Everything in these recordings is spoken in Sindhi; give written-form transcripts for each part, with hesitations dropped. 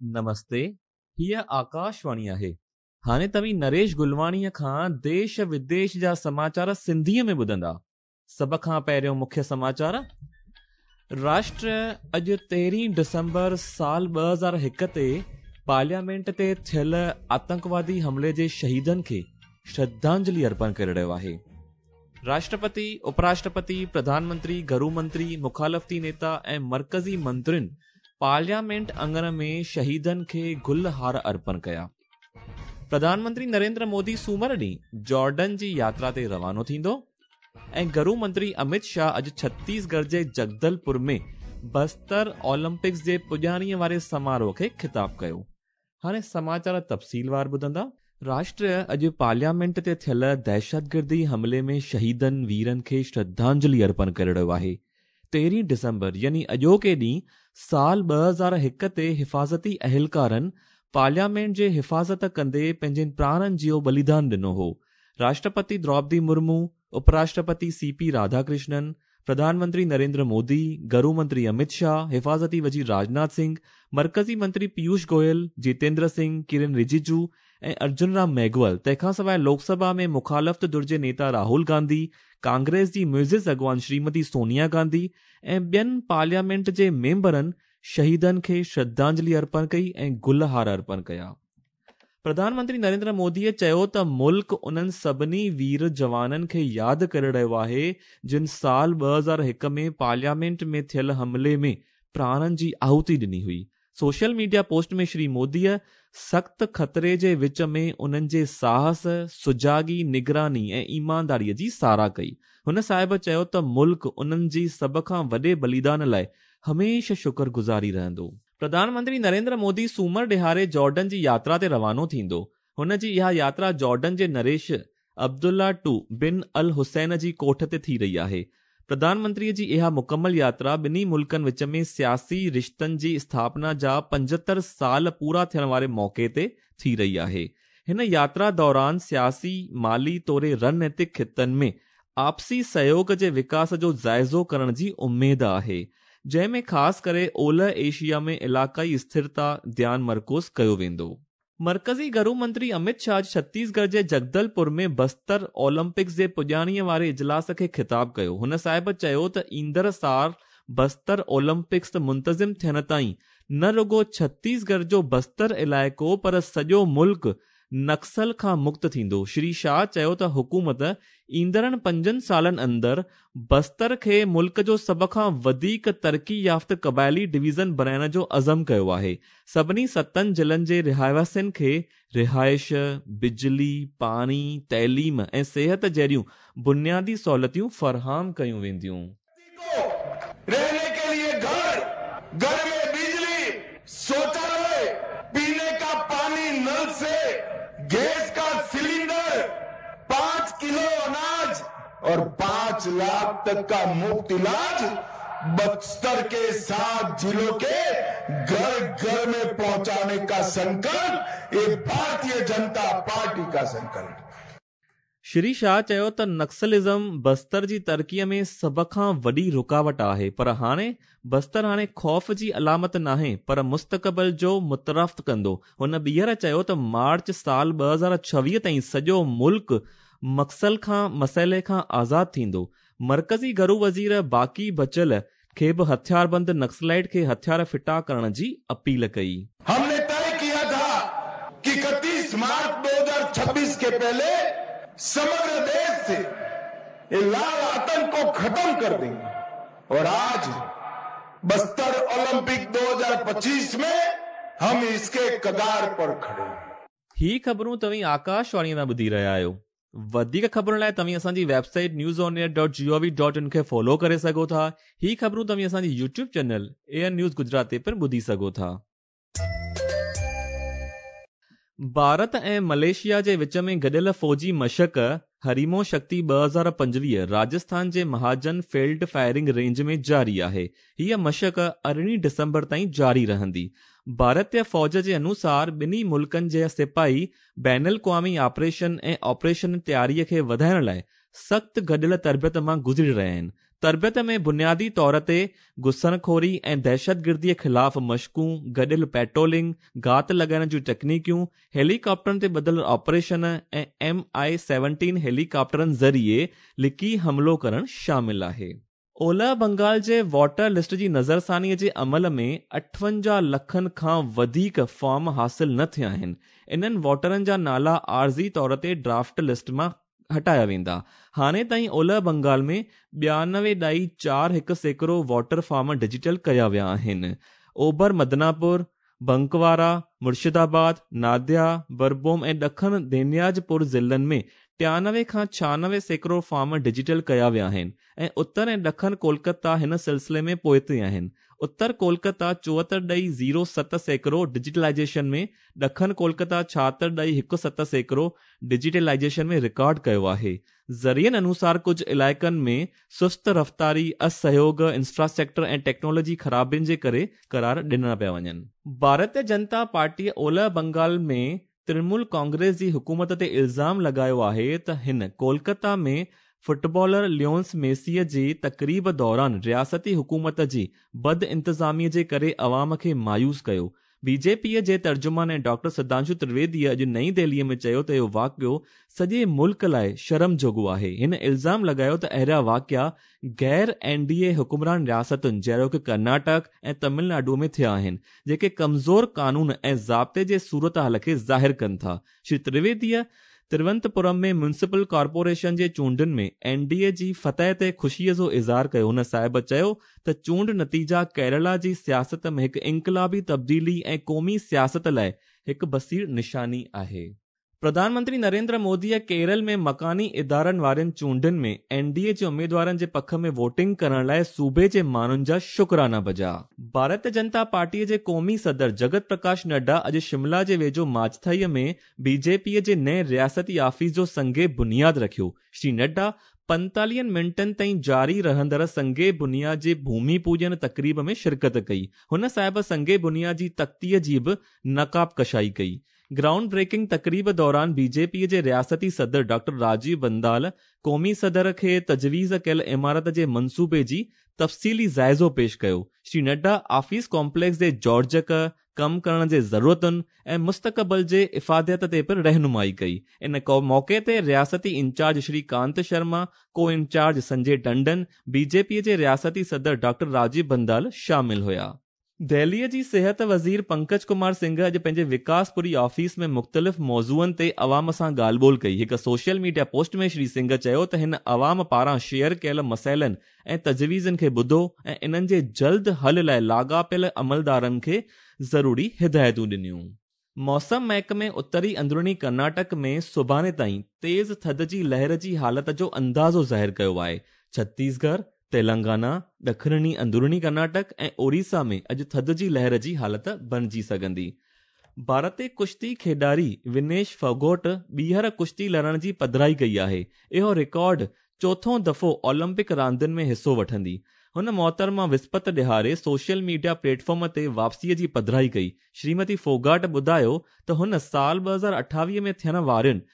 نمستي، هيء آڪاشواڻي آهي. هاڻي توهين نريش گلواڻيء کان ديش وديش جا سماچار سنڌيء ۾ ٻڌندا. سڀ کان پهريون مکيه سماچار، راشٽر اڄ تيرهين ڊسمبر سال 2001 تي پارليامينٽ تي ٿيل آتنڪوادي حملي جي شهيدن کي شرڌانجلي ارپڻ ڪري رهيو آهي. راشٽرپتي، اپراشٽرپتي، پرڌان منتري، گهرو منتري، مخالفتي نيتا ۽ مرڪزي منترين پارليامينٽ اڱڻ ۾ شهيدن کي گل هار ارپڻ ڪيا. پرڌان منتري نريندر مودي سومر ڏينهن جارڊن جي ياترا تي روانو ٿيندو ۽ گهرو منتري امت شاهه اڄ ڇتيسڳڙهه جي جگدلپور ۾ بستر اولمپڪس جي پڄاڻيء واري سماروهه کي خطاب ڪيو. هاڻي سماچار تفصيلوار ٻڌندا. راشٽر اڄ پارليامينٽ تي ٿيل دهشتگردي حملي ۾ شهيدن ويرن کي شرڌانجلي ارپڻ ڪري رهيو آهي. تيرهين ڊسمبر يعني اڄوڪي ڏينهن سال 2001 تي حفاظتي اهلڪارن پارليامينٽ جي حفاظت ڪندي پنهنجن پراڻن جو ٻليدان ڏنو هو. راشٽرپتي دروپدي مرمو، اپراشٽرپتي سي پي راڌاڪرشنن، پرڌان منتري نريندر مودي، گهرو منتري امت شاهه، حفاظتي وزير راجناٿ سنگهه، مرڪزي منتري پيوش گويل، جيتيندر سنگهه، ڪرن رجيجو ۽ ارجن رام ميگهول، تنهن کان سواء لوڪ سڀا ۾ مخالفت ڌر جي نيتا راهول گانڌي، ڪانگريس جي معزز اڳواڻ شريمتي سونيا گانڌي ۽ ٻين پارليامينٽ جي ميمبرن شهيدن کي شرڌانجلي ارپڻ ڪئي ۽ گل هار ارپڻ ڪيا. پرڌان منتري نريندر موديء چيو ته ملڪ انهن سڀني وير جوانن کي ياد ڪري رهيو آهي جن سال 2001 ۾ پارليامينٽ ۾ ٿيل حملي ۾ پراڻن جي آهوتي ڏني هئي. سوشل ميڊيا پوسٽ ۾ شري موديء سخت خطري جي وچ ۾ انهن جي ساهس، سجاڳي، نگراني ۽ ايمانداريء جي ساراهه ڪئي. هن صاحب چيو ته ملڪ انهن جي سڀ کان وڏي ٻليدان لاء هميشه شڪر گذاري رهندو. پرڌان منتري نريندر مودي سومر ڏهاڙي جارڊن جي ياترا تي روانو ٿيندو. هن جي اها ياترا جارڊن جي نريش عبدالله ٽو بن الحسين جي ڪوٺ تي ٿي رهي آهي. پرڌان منتري جي اها مڪمل ياترا ٻنهي ملڪن وچ ۾ سياسي رشتن جي اسٿاپنا جا 75 سال پورا ٿيڻ واري موقعي تي ٿي رهي آهي. هن ياترا دوران سياسي، مالي توڙي رڻنيتڪ خطن ۾ آپسي سهيوڳ جي وڪاس جو جائزو ڪرڻ جي اميد آهي، جنهن ۾ خاص ڪري اولهه ايشيا ۾ علائقائي اسٿرتا ڌيان مرڪوز ڪيو ويندو. مرڪزي گهرو منتري امت شاهه اڄ ڇتيسڳڙهه جي جگدلپور ۾ بستر اولمپڪس جي پڄاڻيء واري اجلاس کي خطاب ڪيو. هن صاحب چيو ته ايندڙ سال بستر اولمپڪس منتظم ٿيڻ تائين نه رڳو ڇتيسڳڙهه جو بستر علائقو پر سڄو ملڪ نڪسل کان مڪت ٿيندو. شري شاهه چيو ته حڪومت ايندڙن پنجن سالن اندر بستر کي ملڪ جو سڀ کان وڌيڪ ترقي يافته قبائلي ڊويزن بڻائڻ جو عزم ڪيو آهي. سڀني ستن ضلعن جي رهواسين کي رهائش، بجلي، پاڻي، تعليم ۽ صحت جهڙيون بنيادي سهولتيون فراهم ڪيون وينديون. رهني ڪي ليي گهر، گهر ۾ بجلي، شوچاليه، پيني ڪا پاني نل سي، گيس ڪا سلينڊر، 5 ڪلو اناج اور 5 لاک تڪ ڪا مفت علاج بستر ڪي 7 ضلعو ڪي گهر گهر ۾ پهچاني ڪا سنڪلپ يي ڀارتيه جنتا پارٽي ڪا سنڪلپ. شري شاهه چيو ته نڪسلزم بستر جي ترقي ۾ سڀ کان وڏي رڪاوٽ آهي پر هاڻي بستر هاڻي خوف جي علامت ناهي پر مستقبل جو متعارف ڪندو. هن ٻيهر چيو ته مارچ سال 2026 تائين سڄو ملڪ مڪسل کان مسئلي کان آزاد ٿيندو. مرڪزي گهرو وزير باقي بچيل کي به هٿياربند نڪسلائيٽ کي هٿيار ڦٽا ڪرڻ جي اپيل ڪئي. هم ني طئي ڪيا ٿا ڪي 31 مارچ 2026 ڪي پهلي سمگر ديش سي يي لال آتنڪ ڪو ختم ڪر دينگي اور آج بستر اولمپڪ 2025 ۾ هم اس ڪي ڪگار پر کڙي هين. هي خبرون توهين آڪاش واڻي تان ٻڌي رهيا آهيو. وڌيڪ خبرن لاء توهين اسان جي website news on air dot G O V dot in کي فالو ڪري سگهو ٿا. هي خبرون توهين اسان جي YouTube channel A I R news Gujarat تي پڻ ٻڌي سگهو ٿا. ڀارت ۽ ملائيشيا جي وچ ۾ گڏيل فوجي مشق هريمو شڪتي 2025 راجسٿان جي مهاجن فيلڊ فائرنگ رينج ۾ جاري آهي. هيء مشق ارڙهين ڊسمبر تائين جاري رهندي. ڀارتي فوج جي انوسار ٻنهي ملڪن جا سپاهي بين الاقوامي آپريشن ۽ آپريشن تياري کي وڌائڻ لاء سخت گڏيل تربيت مان گذري رهيا آهن. تربيت ۾ بنيادي طور تي گسڻخوري ۽ دهشتگردي خلاف مشقون، گڏيل پيٽرولنگ، گهات لڳائڻ جون ٽيڪنيڪيون، هيليڪاپٽرن تي ٻڌل آپريشن ۽ ايم I 17 هيليڪاپٽرن ذريعي لڪي حملو ڪرڻ شامل آهي. اولهه بنگال جي ووٽر لسٽ جي نظرثاني جي عمل ۾ 58 لکن کان وڌيڪ فارم حاصل نه ٿيا آهن. انهن ووٽرن جا نالا عارضي طور تي ڊرافٽ لسٽ مان هٽايا ويندا. هاڻي تائين اولهه بنگال ۾ ٻيانوي ڏائي 41% ووٽر فارم ڊجيٽل ڪيا ويا آهن. اوڀر مدناپور، بنڪوارا، مرشدآباد، ناديا، بربوم ۽ ڏکڻ دينياج پور ضلعن ۾ 93 کان 96% فارم ڊجيٽل ڪيا ويا آهن ۽ اتر ۽ ڏکڻ ڪولڪتا هن سلسلي ۾ پوئتي آهن. اتر ڪولڪتا 74 ڏئي 07% ڊجيٽلائيزيشن ۾، ڏکڻ ڪولڪتا 76 ڏئي 17% ڊجيٽلائيزيشن ۾ رڪارڊ ڪيو آهي. ذريعن انوسار ڪجهه علائقن ۾ سست رفتاري، اسهيوگ، انفراسٽرڪچر ۽ ٽيڪنالاجي خرابين جي ڪري قرار ڏنا پيا وڃن. ڀارتيه جنتا پارٽيء اولهه بنگال ۾ ترڻمول ڪانگريس جي حڪومت تي الزام لڳايو آهي ته هن ڪولڪتا ۾ فٽبالر ليونس ميسيء جي تقريب دوران رياستي حڪومت جي بدانتظاميء جي ڪري عوام کي مايوس ڪيو. بي جي پيء جي ترجمان ۽ ڊاڪٽر سڌانشو ترويديء اڄ نئين دهليء ۾ چيو ته اهو واقعو سڄي ملڪ لاء شرم جوڳو آهي. هن الزام لڳايو ته اهڙا واقعا غير اين ڊي اي حڪمران رياستن جهڙوڪ ڪرناٽڪ ۽ تمل ناڊو ۾ ٿيا آهن، جيڪي ڪمزور قانون ۽ ضابطي جي صورتحال کي ظاهر ڪن ٿا. شري ترويديء ترونتپورم ۾ ميونسپل ڪارپوريشن جي چونڊن ۾ اين ڊي اي جي فتح تي خوشيء جو اظهار ڪيو. هن صاحب چيو ته چونڊ نتيجا ڪيرالا جي سياست ۾ هڪ انقلابي تبديلي ۽ قومي سياست لاء هڪ بصير نشاني آهي. پرڌان منتري نريندر موديء ڪيرل ۾ مڪاني ادارن وارين چونڊن ۾ اين ڊي اي جي اميدوارن جي پک ۾ ووٽنگ ڪرڻ لاء صوبي جي ماڻهن جا شڪرانا بجا. ڀارتيه جنتا پارٽيء جي قومي صدر جگت پرڪاش نڊا اڄ شملا جي ويجهو ماجٿائيء ۾ بي جي پيء جي نئين رياستي آفيس جو سنگ بنياد رکيو. شري نڊا پنتاليهن منٽن تائين جاري رهندڙ سنگ بنياد جي ڀومي پوڄن تقريب ۾ شرڪت ڪئي. هن صاحب سنگ بنياد جي تختيء جي به نقاب ڪشائي ڪئي. گرائونڊ بريڪنگ تقريب دوران بي جي پيء جي رياستي صدر ڊاڪٽر راجيو بندال قومي صدر کي تجويز ڪيل عمارت جي منصوبي جي تفصيلي جائزو پيش ڪيو. شري نڊا آفيس ڪامپليڪس جي جوڙجڪ، ڪم ڪرڻ جي ضرورتن ۽ مستقبل جي افاديت تي پڻ رهنمائي ڪئي. ان موقعي تي رياستي انچارج شري ڪانت شرما، ڪو انچارج سنجي ٽنڊن، بي جي پي جي رياستي صدر ڊاڪٽر راجيو بندال شامل هيا. دهليء جي صحت وزير پنڪج ڪمار سنگهه اڄ پنهنجي وڪاس پوري آفيس ۾ مختلف موضوعن تي عوام سان ڳالهه ٻولهه ڪئي. هڪ social media post ۾ Shri Singh چيو ته هن عوام پاران شيئر ڪيل مسئلن ۽ تجويزن کي ٻڌو ۽ انهن جي جلد حل لاء لاڳاپيل عملدارن کي ضروري هدايتون ڏنيون. موسم محڪمي اتري اندروني ڪرناٽڪ ۾ سڀاڻي تائين تيز ٿڌ جي لهر جي حالت جو اندازو ظاهر ڪيو آهي. ڇتيسڳڙهه، تيلنگانا، ڏکڻي اندروني ڪرناٽڪ ۽ اوريسا ۾ اڄ ٿڌ جي لهر جي حالت بڻجي سگهندي. ڀارتي ڪشتي کيڏاري ونيش ڦوگٽ ٻيهر ڪشتي لڙڻ جي پڌرائي ڪئي آهي. اهو رڪارڊ چوٿون دفعو اولمپڪ راندين ۾ حصو وٺندي. هن محترمه وسپت ڏهاڙي سوشل ميڊيا پليٽ فارم تي واپسيء جي پڌرائي ڪئي. شريمتي ڦوگاٽ ٻڌايو ته هن سال 2028 ۾ ٿيڻ وارين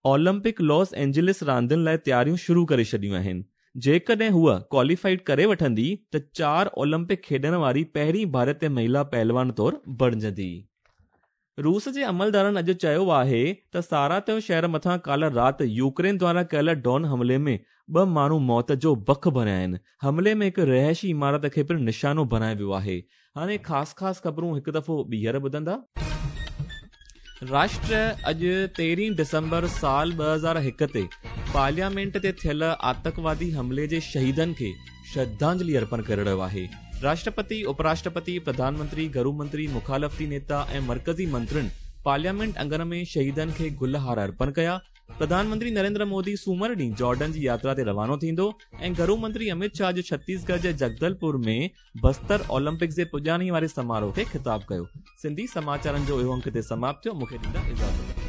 اولمپڪ لاس اينجلس راندين لاء تياريون شروع ڪري ڇڏيون آهن. جيڪڏهن هوء ڪواليفائيڊ ڪري وٺندي ته چار اولمپڪ کيڏڻ واري پهرين ڀارتي مهيلا پهلوان طور بڻجندي. روس جي عملدارن اڄ چيو آهي ته ساراتيو شهر مٿان ڪالهه رات يوڪرين دواران ڪيل ڊرون حملي ۾ ٻه ماڻهو موت جو بک بڻيا آهن. حملي ۾ هڪ رهائشي عمارت کي پڻ نشانو بڻايو ويو آهي. هاڻي خاص خاص خبرون هڪ دفعو ٻيهر ٻڌندا. راشٽر اڄ تيرهين ڊسمبر سال 2001 تي پارليامينٽ تي ٿيل آتڪوادي حملي جي شهيدن کي شرڌانجلي ارپڻ ڪري رهيو آهي. راشٽرپتي، اپراشٽرپتي، پرڌان منتري، گهرو منتري، مخالفتي نيتا ۽ مرڪزي منترين پارليامينٽ اڱڻ ۾ شهيدن کي گل هار ارپڻ ڪيا. پرڌان منتري نريندر مودي سومر ڏينهن جارڊن جي ياترا تي روانو ٿيندو ۽ گهرو منتري اميت شاهه اڄ ڇتيسڳڙهه جي جگدلپور ۾ بستر اولمپڪس جي پڄاڻي واري سماروهه کي خطاب ڪيو. سنڌي سماچارن جو اهو انڪ هتي سماپت ٿيو. مون کي ڏيندا اجازت.